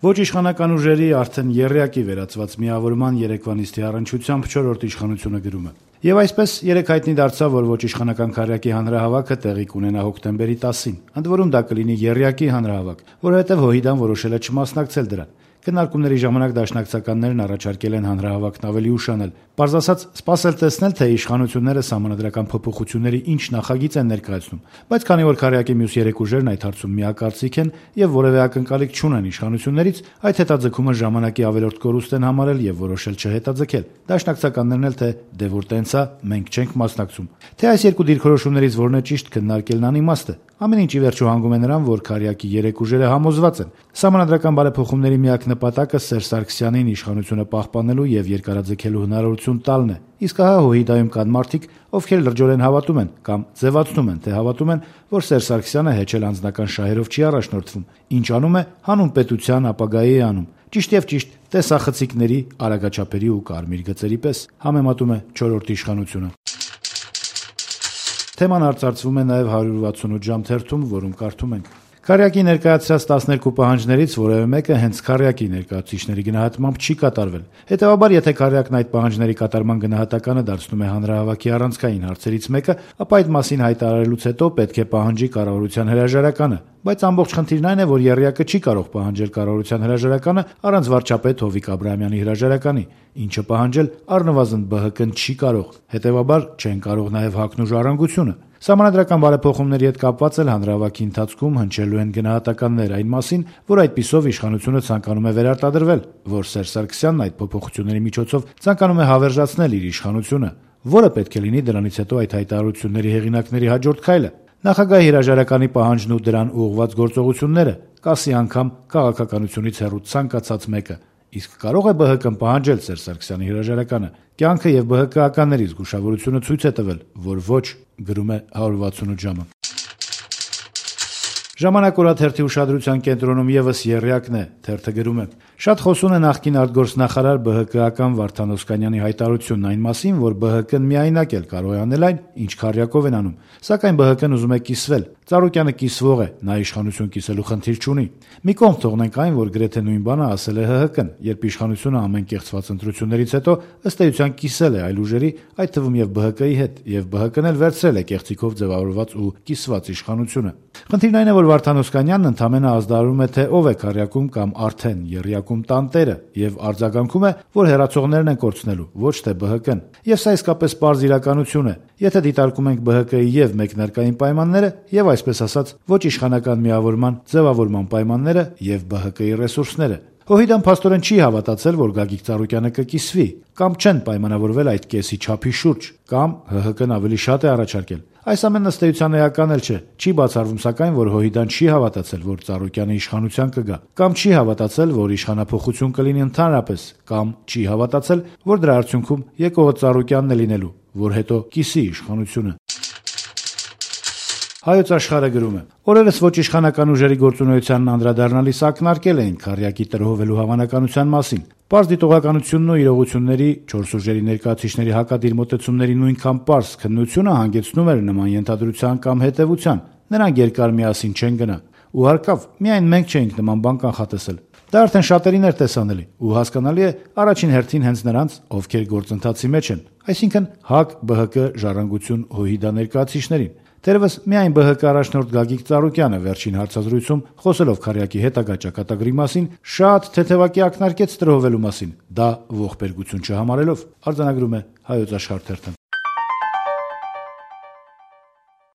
Ոչ իշխանական ուժերի արդեն եռյակի վերածված միավորման երեկվա նիստի առնչությամբ 4-րդ իշխանությունը գրում է. «Եվ այսպես երեկ հայտնի դարձավ, որ ոչ իշխանական քառյակի հանրահավաքը տեղի կունենա հոկտեմբերի 10-ին, ընդ որում դա կլինի եռյակի հանրահավաք, որովհետև ՀՅԴ-ն որոշել է չմասնակցել դրան։ Քննարկումների ժամանակ դաշնակցականներն առաջարկել են հանրահավաքն ավելի ուշանել։ Պարզ ասած, սպասել տեսնել, թե իշխանությունները սահմանադրական փոփոխությունների ինչ նախագիծ են ներկայացնում, բայց քանի որ քառյակի մյուս երեք ուժերն այդ հարցում միակարծիք են եւ որեւէ ակնկալիք չունեն իշխանություններից, այդ հետաձգումը ժամանակի ավելորդ կորուստ են համարել եւ որոշել չհետաձգել։ Դաշնակցականներն էլ թե դե որ տենց է, մենք չենք մասնակցում։ Թե այս երկու դիրքորոշումներից որն է ճիշտ, քննարկելն անիմաստ է։ Ամեն ինչ ի վերջո հանգում է նրան, որ քառյակի երեք ուժերը համոզված են։ Սահմանադրական բարեփոխումների միակ նպատակը Սերժ Սարգսյանին իշխանությունը պահպանելու եւ երկարաձգելու հնարավորություն տալն է։ Իսկ ահա ՀՅԴ-ում կան մարդիկ, ովքեր լրջորեն հավատում են կամ ձևացնում են, թե հավատում են, որ Սերժ Սարգսյանը հեչել անձնական շահերով չի առաջնորդվում։ Ինչ անում է, հանուն պետության ապագայի է անում։ Ճիշտ եւ ճիշտ, տեսախցիկների, արագաչափերի ու կարմիր գծերի պես, համեմատում է 4-րդ իշխանությունը։ Թեման արծարծվում է նաև 168 ժամ թերթում, որում կարդում ենք. Քառյակի ներկայացրած 12 պահանջներից որևէ մեկը հենց քառյակի ներկայացուցիչների գնահատմամբ չի կատարվել։ Հետևաբար, եթե քառյակն այդ պահանջների կատարման գնահատականը դարձնում է հանրահավաքի առանցքային հարցերից մեկը, ապա այդ մասին հայտարարելուց հետո պետք է պահանջի կառավարության հրաժարականը։ Բայց ամբողջ խնդիրն այն է, որ եռյակը չի կարող պահանջել կառավարության հրաժարականը առանց վարչապետ Հովիկ Աբրահամյանի հրաժարականի, ինչը պահանջել առնվազն ԲՀԿ-ն չի կարող։ Հետևաբար չեն կարող նաև ՀԱԿ-ն ու Ժառանգությունը։ Սահմանադրական բարեփոխումների հետ կապված էլ հանրահավաքի ընթացքում հնչելու են գնահատականներ այն մասին, որ այդպիսով իշխանությունը ցանկանում է վերարտադրվել, որ Սերժ Սարգսյանն այդ փոփոխությունների միջոցով ցանկանում է հավերժացնել իր իշխանությունը, որը պետք է լինի դրանից հետո այդ հայտարարությունների հեղինակների հաջորդ քայլը։ Նախագահի հրաժարականի պահանջն ու դրան ուղղված գործողությունները, կասի անգամ քաղաքականությունից հեռու ցանկացած մեկը։ Իսկ կարող է ԲՀԿ-ն պահանջել Սերժ Սարգսյանի հրաժարականը։ Կյանքը եւ ԲՀԿ-ականների զգուշավորությունը ցույց է տվել, որ ոչ, գրում է 168 ժամը։ Ժամանակ օրաթերթի ուշադրության կենտրոնում եւս եռյակն է, թերթը գրում է. Շատ խոսուն է նախկին արտգործնախարար ԲՀԿ-ական Վարդան Օսկանյանի հայտարարությունն այն մասին, որ ԲՀԿ-ն միայնակ էլ կարող է անել այն, ինչ քառյակով են անում, սակայն ԲՀԿ-ն ուզում է կիսվել։ Ծառուկյանը կիսվող է, նա իշխանություն կիսելու խնդիր չունի։ Մի կողմ թողնենք այն, որ գրեթե նույն բանը ասել է ՀՀԿ-ն, երբ իշխանությունը ամեն կեղծված ընտրություններից հետո ըստ էության կիսել է այլ ուժերի, այդ թվում եւ ԲՀԿ-ի հետ, եւ ԲՀԿ-ն էլ վերցրել է կեղծիքով ձևավորված ու կիսված իշխանությունը։ Խնդիրն այն է, որ Վարդան Օսկանյանն ընդամենը ազդարարում է, թե ով է քառյակում կամ արդեն եռյակում տանտերը, եւ արձագանքում է, որ հերացողներն են կորցնելու, ոչ թե ԲՀԿ-ն։ Եվ սա իսկապես պարզ իրականություն է։ Եթե դիտարկում ենք ԲՀԿ-ի եւ մեկնարկային պայմանները, եւ այսպես ասած, ոչ իշխանական միավորման ձևավորման պայմանները եւ ԲՀԿ-ի ռեսուրսները, ՀՅԴ-ն փաստորեն չի հավատացել, որ Գագիկ Ծառուկյանը կկիսվի, կամ չեն պայմանավորվել այդ կեսի չափի շուրջ, կամ ՀՀԿ-ն ավելի շատ է առաջարկել։ Այս ամենն ըստ էության էական էլ չէ։ Չի բացառվում սակայն, որ ՀՅԴ-ն չի հավատացել, որ Ծառուկյանը իշխանության կգա, կամ չի հավատացել, որ իշխանափոխություն կլինի ընդհանրապես, կամ չի հավատացել, որ դրա արդյունքում եկողը Ծառուկյանն է լինելու, որ հետո կիսի իշխանությունը։ Հայոց Աշխարհը գրում է. Օրերս ոչ իշխանական ուժերի գործունեությանն անդրադառնալիս ակնարկել էին քառյակի տրոհվելու հավանականության մասին։ Պարզ դիտողականությունն ու իրողությունների 4 ուժերի ներկայացուցիչների հակադիր մոտեցումների նույնքան պարզ քննությունը հանգեցնում էր նման ենթադրության կամ հետևության։ Նրանք երկար միասին չեն գնա։ Ու հարկավ, միայն մենք չէինք նման բան կանխատեսել։ Դա արդեն շատերին էր տեսանելի ու հասկանալի է առաջին հերթին հենց նրանց, ովքեր գործընթացի մեջ են, այսինքն ՀԱԿ, ԲՀԿ, Ժառանգություն, ՀՅԴ ներկայացուցիչներին։ Թերևս միայն ԲՀԿ առաջնորդ Գագիկ Ծառուկյանը վերջին հարցազրույցում, խոսելով քառյակի հետագա ճակատագրի մասին, շատ թեթևակի ակնարկեց տրոհվելու մասին, դա ողբերգություն չհամարելով, արձանագրում է Հայոց Աշխարհ թերթը։